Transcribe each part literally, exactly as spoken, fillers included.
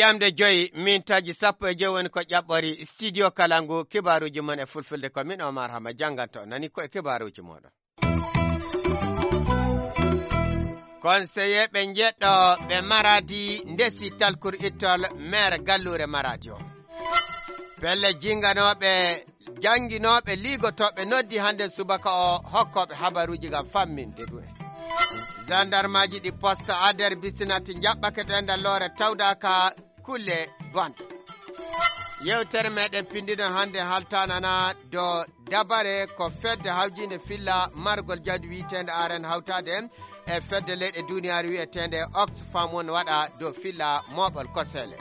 Ƴamde joyi, mintaaji sappo e joyi woni ko ƴaɓɓori studio kala ngu. Kibaaruuji mon e fulfulde ko min Omar Hama jannganto. Nani ko e kibaaruuji mooɗon. Konseyeeɓe njeɗɗo ɓe Maradi ndesi talkuru ittol maire galluure Maradi o. Pelle jinganooɓe, jannginooɓe, liigotooɓe noddi hannde subaka o hokkooɓe habaruuji ngam famminde ɗum en. Zandarmaaji ɗi poste Ader Bisinat njaɓɓake to e nder loore tawdaaka kulle bonɗe. Yewtere meɗen pinndino hannde haltanana dow dabare ko fedde hawjiinde filla margol jawdi wiyeteende Aren hawtaade e fedde leyɗe duniyaaru wiyeteende Oxfam won waɗa dow filla mooɓol koseele.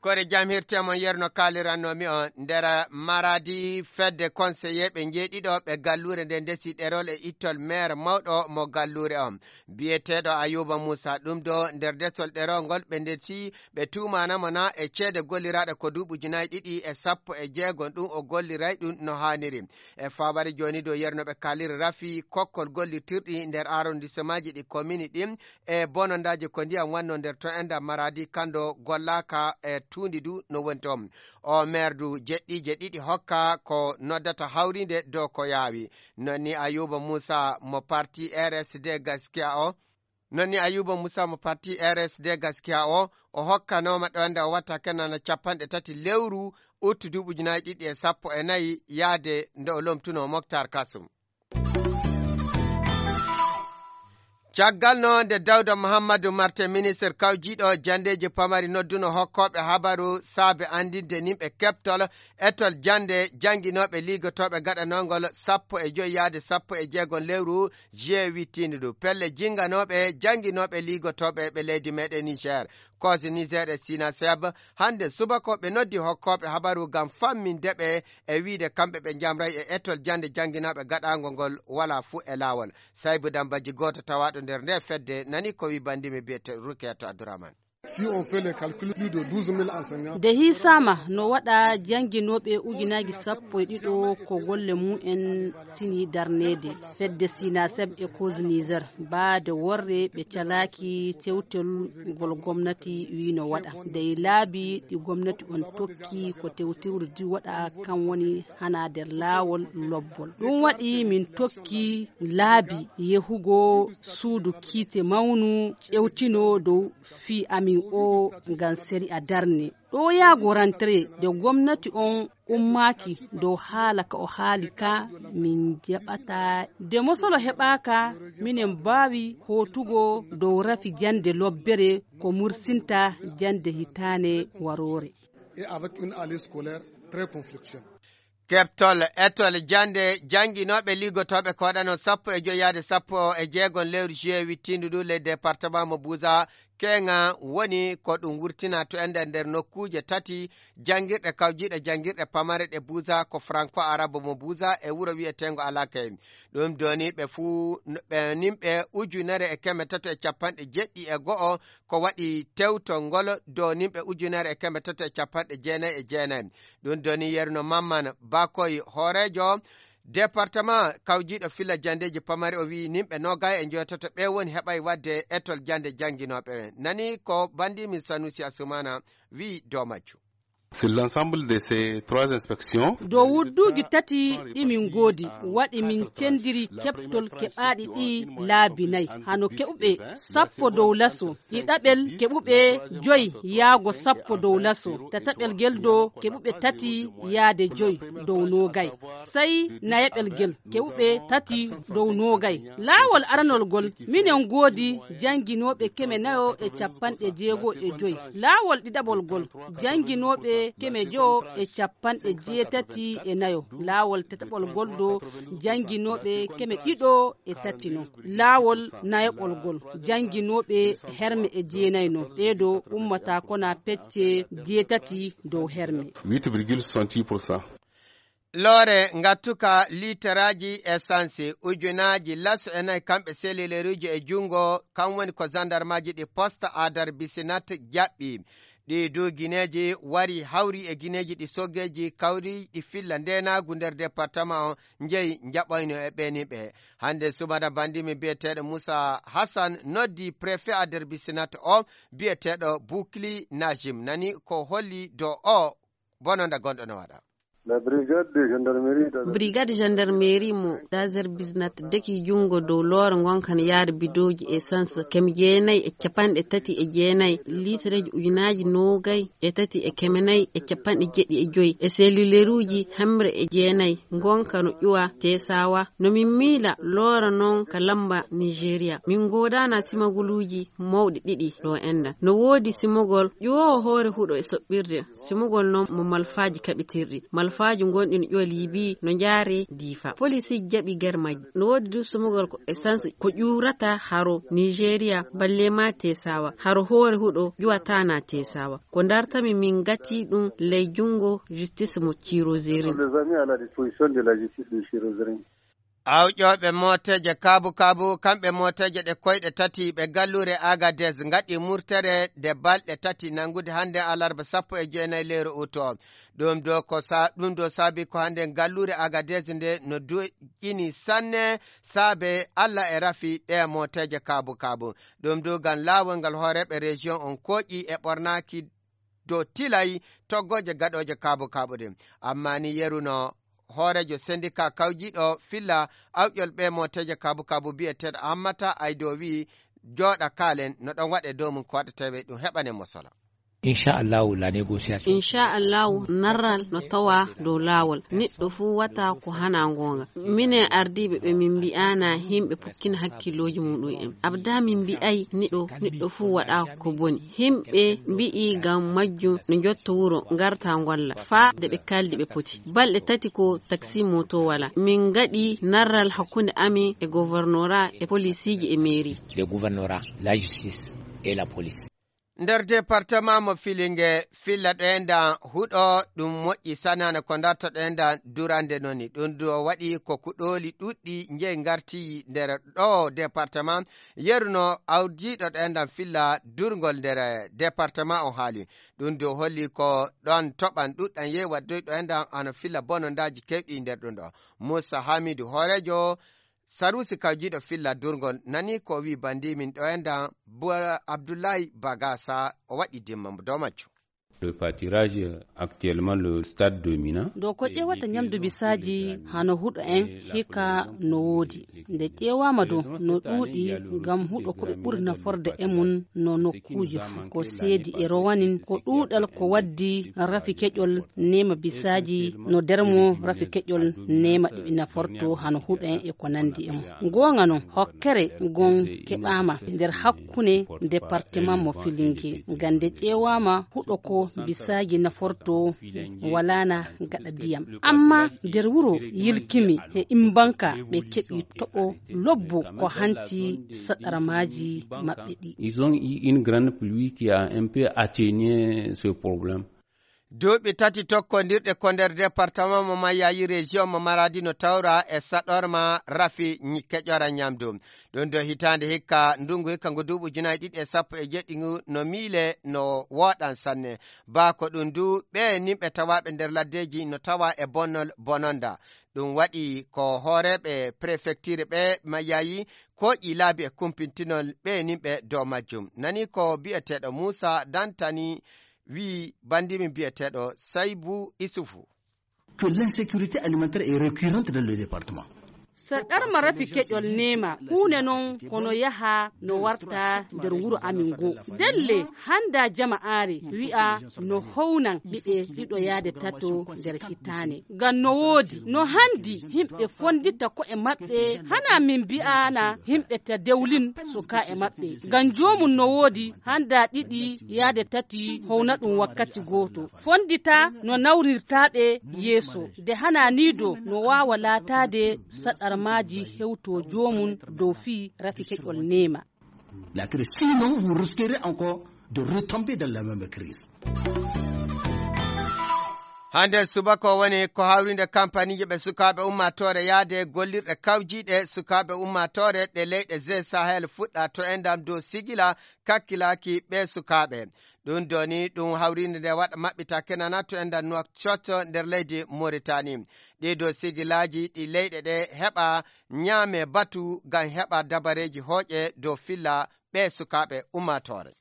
Kore jam hirte mon yerno kaaliranno mi on nder Maradi fedde konseyeeɓe njeeɗiɗo ɓe galluure nde ndesi ɗerol e ittol maire mawɗo mo galluure on. Biyeteeɗo Ayuba Muusa ɗum do nder desol ɗerol ngol ɓe ndeti ɓe tuumaana mo na e ceede golliraaɗe ko duuɓi ujunaaji ɗiɗi e sappo e jeegom ɗum o golliray ɗum no haaniri. E faabare jooni dow yerno ɓe kaaliri rafi kokkol gollitirɗi nder arrondissemaaji ɗi komini ɗin e bonondaaji ko ndiyam wanno nder to enda Maradi kando gollaaka e tuundi du no woni toon. O maire du jeɗɗiije ɗiɗi hokka ko noddata hawriinde dow ko yaawi. Non ni Ayuba Muusa mo parti R S D Gaskiya o, non ni Ayuba Muusa mo parti R S D Gaskiya o, o hokkanooma ɗo nde o watta kenana capanɗe tati lewru uttu duuɓi ujunaaji ɗiɗi e sappo e nayi yaade nde o lomtuno Moktar Kasum. Caggal no nde Dawda Muhammadu Marte, ministre kawjiiɗo janndeeji pamari, nodduno hokkooɓe habaru saabe anndinde nimɓe keɓtol etol jannde jannginooɓe liigotooɓe gaɗanoongol sappo e joyi yaade sappo e jeegom lewru juillet wittiindu ndu. Pelle jinnganooɓe jannginooɓe liigotooɓe ɓe leydi meɗen Niger. Koos Niger e Sina Seb, hannde subaka ɓe noddi hokkooɓe habaru ngam famminde ɓe e wiide kamɓe ɓe njamray e etol jannde jannginooɓe gaɗaango ngol walaa fuu e laawol. Saybu Dambajji gooto tawaaɗo nder nde fedde nani ko wi banndimi biyete Rukeeto Abdourahmane. Si on fait les calculs, plus de douze mille enseignants. Nde hiisaama no waɗa jannginooɓe ujunaaji sappo e ɗiɗo ko golle mum en sini darneede. Fedde Sinaseb e Koos Niger, baade worre ɓe calaaki tewtol ngol gomnati wii no waɗa. Dey laabi ɗi gomnati on tokki ko tewtewrdi waɗa kan woni hana nder laawol lobbol. Ɗum waɗi min tokki laabi yehugo suudu kiite mawnu ƴewtino dow fii amin o ngam seri a darne. Ɗo yaago rantre nde gomnati on ummaaki dow haala ka o haali ka min jaɓata. Nde mosolo heɓaaka, minen mbaawi hootugo dow rafi jannde lobbere ko mursinta jannde hitaane waroore. Et avec une année scolaire très conflictuelle. Keɓtol etol jannde jannginooɓe liggotooɓe koɗano sappo e joyi yaade sappo e jeegom lewru juillet wittiindu ndu ley département mo Buza, keŋa woni ko ɗum wurtina to e nder nder nokkuuje tati janngirɗe kawjiiɗe janngirɗe pamare ɗe Buza ko franco arabe mo Buza e wuro wiyeteengo Alakey. Ɗum doni ɓe fuu ɓe nimɓe ujunere e keme tato e capanɗe jeɗɗi e go'o ko waɗi tewtol ngol dow nimɓe ujunere e keme tato e capanɗe jeenayi e jeenayi. Ɗum doni yerno Mamman Bakoy hooreejo département kawjiiɗo filla janndeeji pamari o wiyi nimɓe noogay e njoytoto ɓe woni heɓay waɗde etol jannde jannginooɓe ɓen. Nani ko banndi min Sanusi Asumana wiyi dow majjum. Sur l'ensemble de ces trois inspections, dow wudduuji tati ɗi min ngoodi, waɗi min cendiri keɓtol keɓaaɗi ɗi laabi nayi. Hano keɓuɓe sappo dow laso, ɗiɗaɓel keɓuɓe joyi yaago sappo dow laso, tataɓel gel do keɓuɓe tati yaade joyi dow noogay. Sey nayaɓel gel keɓuɓe tati dow noogay. Laawol aranol gol, minen ngoodi jannginooɓe keme nayo e capanɗe jeego e joyi. Laawol ɗiɗaɓol gol, jannginooɓe keme jowo e capanɗe jeetati e nayo. Laawol tataɓol gol do, jannginooɓe keme ɗiɗo e tati non. Laawol nayaɓol gol, jannginooɓe herme e jeenayi non. Ɗee do ummata kona pecce jeetati dow herme. Huit virgule soixante-dix pour cent. Loore ngattuka liitaraaji essence ujunaaji laso e nayi kamɓe selileruuji e junngo, kam woni ko zandarmaaji ɗi poste Adar Bisinat jaɓɓi. Ɗi du gineeji wari hawri e gineeji ɗi soggeeji kawri ɗi filla ndeenaagu nder departement o njeyi njaɓoyno e ɓeeni ɓe. Hannde subana banndi mi biyeteeɗo Moussa Hassan noddi préfet a nder bisinat o biyeteeɗo Boukli Najim nani ko holli do o bononda gonɗo no waɗa. La brigade de gendarmerie d'Azerbaïdjan. Brigade gendarmerie mo Azerbaïdjan deki junngo dow loore ngonka no yaade bidooji essence kemi jeenayi e capanɗe tati e jeenayi, litreji ujunaaji noogay e tati e keme nayi e capanɗe jeɗɗi e joyi e selluleruuji hemre e jeenayi ngonka no ƴuwa Tesawa. No min miila loora noon ka lamba Nigeria. Min ngoodaana simaguluuji mawɗi ɗiɗi ɗo enda. No woodi simogol ƴuwoowo hoore huɗo e soɓɓirde. Simogol noon mo malfaaji kaɓitirɗi. Malfaaju ngonɗi no ƴuwa Liibi no njaare Diifa. Polisiiji jaɓi ger majji. No woodi du simogol ko essence ko ƴuurata haro Nigeria, balle ma Tesawa. Haro hoore huɗo ƴuwataana Tesawa. Ko dartami min ngati ɗum ley junngo justice mo Cirozerin. Les amis à la disposition de la justice de Cirozerin. Awƴooɓe mooteeje kaabu-kaabu, kamɓe mooteeje ɗe koyɗe tati ɓe galluure Agadez ngaɗi murtere nde balɗe tati nanngude hannde alarba sappo e jeenayi lewru uto. Ɗum ɗo ko sa-, ɗum ɗo saabi ko hannde galluure Agadez nde no duƴƴini sanne saabe Alla e rafi ɗe mooteeje kaabu-kaabu. Ɗum ɗo ngam laawol ngal hooreeɓe région on kooƴi e ɓornaaki dow tilay toggooje gaɗooje kaabu-kaabu ɗin. Amma ni yeru no hooreejo sendika kawjiiɗo filla awƴol ɓe mooteeje kaabu-kaabu biyeteeɗo Ammata Aydo wi'i jooɗa kaalen no ɗon waɗe dow mum ko waɗetee ɓe ɗum heɓane mo solo. Inchallahu la négociation. Inchallahu narral no tawa dow laawol. Neɗɗo fuu wata ko hana ngoonga. Minen ardiiɓe ɓe min mbi'aana yimɓe pukkina hakkillooji muɗum en. Abda min mbi'ay niɗo, neɗɗo fuu waɗa ko boni. Yimɓe mbi'i ngam majjum no njotto wuro ngarta ngolla. Faa de ɓe kaldi ɓe poti. Balɗe tati ko taksi moto wala. Min ngaɗi narral hakkunde amin e gouvernora e polisiiji e mairie. Le gouvernorat, la justice et la police. Nder departement mo Filinge, filla ɗoyenda huɗo ɗum moƴƴi sanana ko darto ɗoyenda durande noni. Ɗum ɗo waɗi ko kuɗooli ɗuɗɗi njeyi ngarti nder ɗo departement. Yeru no awdiiɗo ɗoyenda filla durngol nder departement o haali. Ɗum ɗo holli ko ɗon toɓan ɗuɗɗan yehi waddoy ɗoyenda hano filla bonondaaji kewɗi nder ɗum ɗo. Moussa Hamidou hooreejo Sarusi kawjiiɗo filla durngol nani ko wi bandimin ɗo enda Abdullahi Bagasa o waɗi dimma dow majjum. Le pâturage, actuellement, le stade dominant. Ɗo ko ƴeewata ñamdu bisaaji hano huɗo en hikka no woodi. Nde ƴeewaama ɗo no ɗuuɗi ngam huɗo ko ɓe ɓuri naforde e mum no nokkuuji fuu. Ko seedi e rowanin ko ɗuuɗal ko waddi rafi keƴol neema bisaaji no dermo rafi keƴol neema ɗiɓi naforto hano huɗo en e ko nandi e mum. Goonga non, hokkere gon keɓaama nder hakkunde departement mo Filinge. Ngam nde ƴeewaama huɗo ko bisaaji naforto walaana gaɗa ndiyam. Amma nder wuro Yilkimi e Imbanka ɓe keɓi toɓo lobbo ko hanti saɗarmaaji maɓɓe ɗi. Ils ont eu une grande pluie qui a un peu atténué ce problème. Duuɓi tati tokkondirɗe ko nder département mo Mayayi, région mo Maradi no tawra e saɗorma rafi ñi-, keƴora ñamdu. Ɗum ɗo hitaande hikka, ndungu hikka ngu duuɓi ujunaaji ɗiɗi e sappo e jeɗɗi ngu no miile no wooɗan sanne. Baa ko ɗum du, ɓe nimɓe tawaaɓe nder laddeeji no tawa e bonnol bononda. Ɗum waɗi ko hooreeɓe préfecture ɓe Mayayi kooƴi laabi e kumpintinol ɓe nimɓe dow majjum. Nani ko bi'eteeɗo Muusa Dantani wi'i bandimin bi'eteeɗo Saybu Isufu. Que l'insécurité alimentaire est récurrente dans le département. Saɗarma rafi keƴol neema, huunde non kono yaha no warta nder wuro amin ngo. Delle hannda jama aare wi'a no hownan ɓiɓe ɗiɗo yaade tato nder hitaane. Ngam no woodi, no handi yimɓe fondita ko'e maɓɓe, hana min mbi'ana yimɓe ta dewlin suka e maɓɓe. Ngam joomum no woodi hannda ɗiɗi yaade tati howna ɗum wakkati gooto. Fondita no nawrirta ɓe yeeso. De hana ni do no waawa laataade saɗarmaaji hewto joomum dow fii rafi keƴol neema. La crise, sinon vous risquerez encore de retomber dans la même crise. Hande subaka o woni ko hawrinde kampaniije ɓe sukaaɓe ummaatoore yaade gollirɗe kawjiiɗe sukaaɓe ummaatoore ɗe leyɗe G Sahel fuɗɗa to endam dow sigila kakkilaaki ɓe sukaaɓe. Ɗum doni ɗum hawriinde nde waɗa maɓɓita kenana to enda Nouakchott nder leydi Mauritanie. Ɗii ɗo sigilaaji ɗi leyɗe ɗe heɓa ñaame batu ngam heɓa dabareeji hooƴe dow filla ɓe sukaaɓe ummaatoore.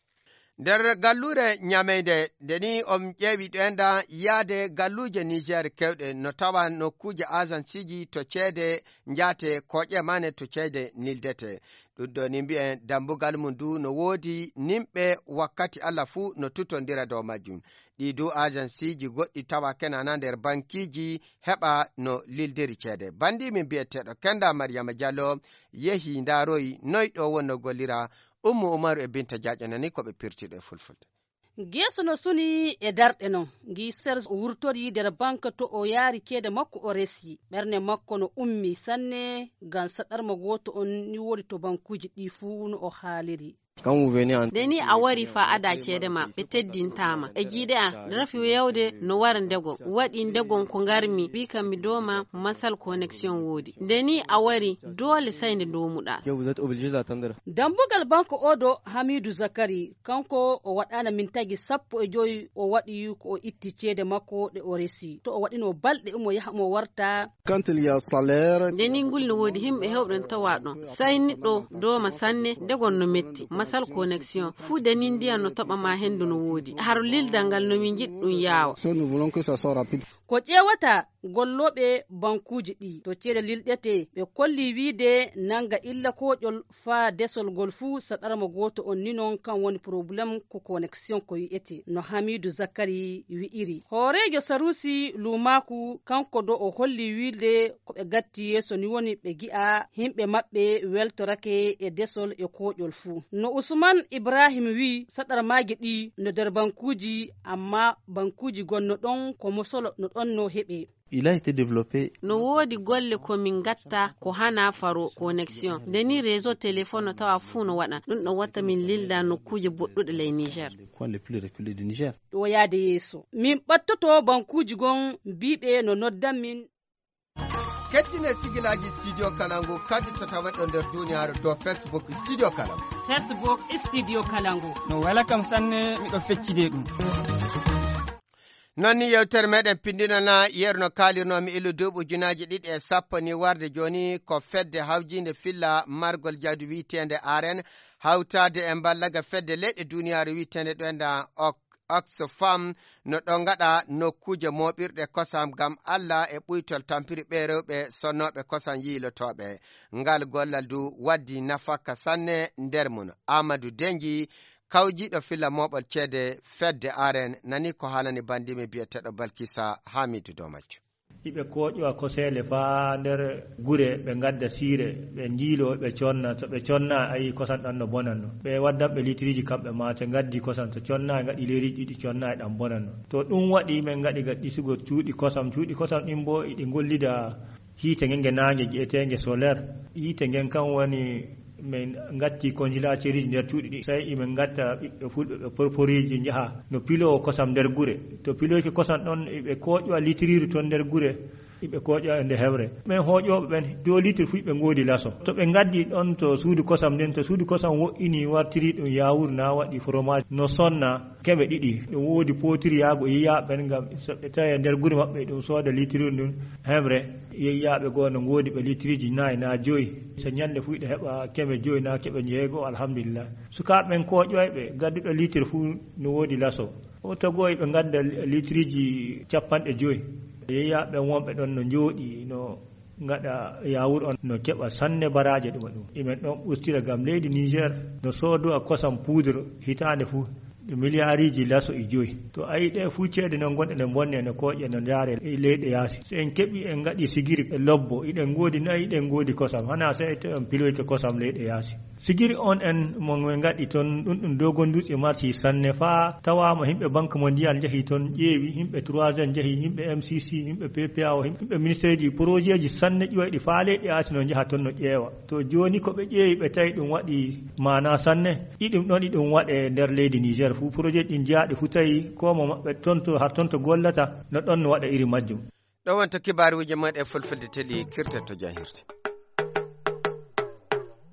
Nder galluure ñameynde nde ni on ƴeewi ɗo enda yaade galluuje Niger kewɗe no tawa nokkuuje agenceeji to ceede njaate kooƴe mane to ceede nildete. Ɗum ɗo ni mbiyen dambugal mum ndu no woodi nimɓe wakkati Allah fuu no tutondira dow majjum. Ɗi du agenceeji goɗɗi tawa kenana nder bankiiji heɓa no lildiri ceede. Banndi min mbiyeteeɗo Kenda Mariama Diallo yehi ndaaroyi noy ɗo wonno gollira. Ummu Umaru e Binta Jaaƴo nani ko ɓe pirtiɗo e fulfulde. Geeso no suni e darɗe non. Ngi Serge wurtori nder banque to o yaari ceede makko o resi. Ɓernde makko no ummi sanne ngam saɗarma gooto on ni woni to bankuuji ɗi fuu no o haaliri. Nde ni a wari fa ada ceede ma, ɓe teddintaama. E jiiɗe a, rafi yawde no wara ndegon. Waɗi ndegon ko ngarmi, wi kam mi dooma masal connexion woodi. Nde ni a wari, doole sai nde ndomuɗa. Dambugal banque o do Hamidu Zakari, kanko o waɗaana min tagi sappo e joyi, o waɗi ko o itti ceede makko ɗe o resi. To o waɗino balɗe omo yaha omo warta. Quand il y a salaire. Nde ni ngul no woodi himɓe hewɓe no tawa ɗon. Sai niɗɗo dooma sanne, ndegon no metti. Masal connexion. Fuu nde ni ndiyan no toɓa ma hendu no woodi. Haro lildal ngal no min njiɗi ɗum yaawa. Ce que nous voulons que ça soit rapide. Ko ƴeewata gollooɓe bankuuji ɗi to ceede lilɗete, ɓe kolli wiide nanga illa kooƴol faa desol ngol fuu saɗarma gooto on ni non kan woni problème ko connexion ko wi'ete no Hamidu Zakari wi'iri. Hooreejo Sarusi Luumaaku kanko do o holli wiide ko ɓe gatti yeeso ni woni ɓe gi'a himɓe maɓɓe weltorake e desol e kooƴol fuu. No Usman Ibrahim wi'i saɗarmaaji ɗi no nder bankuuji amma bankuuji gonno ɗon ko mosolo no ɗon no heɓe. Il a été développé. No woodi golle ko min ngatta ko hana faro connexion. Nde ni réseau téléphone no tawa fuu no waɗa. Ɗum ɗo watta min lilda nokkuuje boɗɗuɗe ley Niger. Coin le plus reculé du Niger. Ɗo yaade yeeso. Min ɓattoto bankuuji gon mbiiɓe no noddan min. Kettine sigilaaji Studio Kalangu kadi to tawa ɗo nder duniyaaru to Facebook Studio Kalangu. Facebook Studio Kalangu. No wela kam sanne, miɗo feccide ɗum. Non ni yewtere meɗen pindinana yeru no kaalirnomi illu duuɓi ujunaaji ɗiɗi e sappo ni warde jooni ko fedde hawjiinde filla margol jawdi wiyeteende aren hawtaade e mballaga fedde leyɗe duniyaaru wiyeteende ɗo enda ok Oxfam no ɗo ngaɗa nokkuuje mooɓirɗe kosam ngam Alla e ɓuytol tampiri ɓee rewɓe sonnooɓe kosam yiilotooɓe. Ngal gollal du waddi nafakka sanne nder mum. Amadou Denji, kawjiiɗo filla mooɓol ceede fedde aren, nani ko haalani banndimi biyeteeɗo Balkisa Hamidu dow majjum. Iɓe kooƴowa koseele faa nder gure, ɓe ngadda siire, ɓe njiiloo, ɓe conna. To ɓe conna, a yii kosam ɗam no bonanno. Ɓe waddan ɓe litiriiji kamɓe maa, te ngaddi kosam, to conna, ngaɗi leeriiji ɗiɗi conna, e ɗam bonanno. To ɗum waɗi, min ngaɗi ga ɗisugo cuuɗi kosam. Cuuɗi kosam ɗin boo, iɗi ngollida hiite ngen nge naange gi'eteenge solaire. Hiite ngen kan woni min ngatti konjilaateriiji nder cuuɗi ɗi. Sey imin ngatta ɓiɓɓe fulɓe ɓe porporiiji njaha no piloowo kosam nder gure. To piloyke kosam ɗon, iɓe kooƴowa litiriiru ton nder gure, iɓe kooƴowa e nde hewre. Ɓen hooƴooɓe ɓen, dow litir fuu iɓe ngoodi laso. To ɓe ngaddi ɗon to suudu kosam nden, to suudu kosam woɗɗini wartiri ɗum yaawuru na waɗi fromage no sonna, keme ɗiɗi. Ɗum woodi pootiri yaago e yiyaaɓe ɓen, ngam so ɓe tawi e nder gure maɓɓe, ɗum sooda litiriiru ndun hemre. Yiyaaɓe goo no ngoodi ɓe litiriiji nayi naa joyi. So ñande fuu iɗa heɓa keme joyi naa keɓe jeego, alhamdulillah. Sukaaɓe ɓen kooƴoyɓe, gadduɗo litir fuu no woodi laso. O togoo iɓe ngadda litiriiji capanɗe joyi. Yiyaaɓe ɓen wonɓe ɗon no njooɗi, no ngaɗa yaawur on, no keɓa sanne baraaje ɗuma ɗum. Imen ɗon ustira ngam leydi Niger no soodowa kosam poudre hitaande fuu. Ɗe miliyariiji laso e joyi. To a yii ɗe fuu ceede non gonɗe ɗe mbonne no kooƴe no ndaare e leyɗe yaasi. So en keɓi en ngaɗi sigiri e lobbo, iɗen ngoodi nayi, iɗen ngoodi kosam. Hanaa sey to en piloyke kosam leyɗe yaasi. Sigiri on en mo en ngaɗi ton, ɗum ɗum dogon dutse marsi sanne faa tawaama yimɓe Banque Mondiale njahi ton ƴeewi, yimɓe trois N njahi, yimɓe M C C, yimɓe P P A O, yimɓe ministère ji, projet ji sanne ƴoyɗi faa leyɗe yaasi no njaha ton no ƴeewa. To jooni ko ɓe ƴeewi ɓe tawi ɗum waɗi maanaa sanne, iɗum ɗon iɗum waɗe nder leydi Niger fuu. Projet ɗin jaaɗi fuu tawi ko mo maɓɓe ton to, har ton to gollata, no ɗon no waɗa iri majjum. Ɗo wonta kibaaruuji mon e fulfulde teli kirte to janhirde.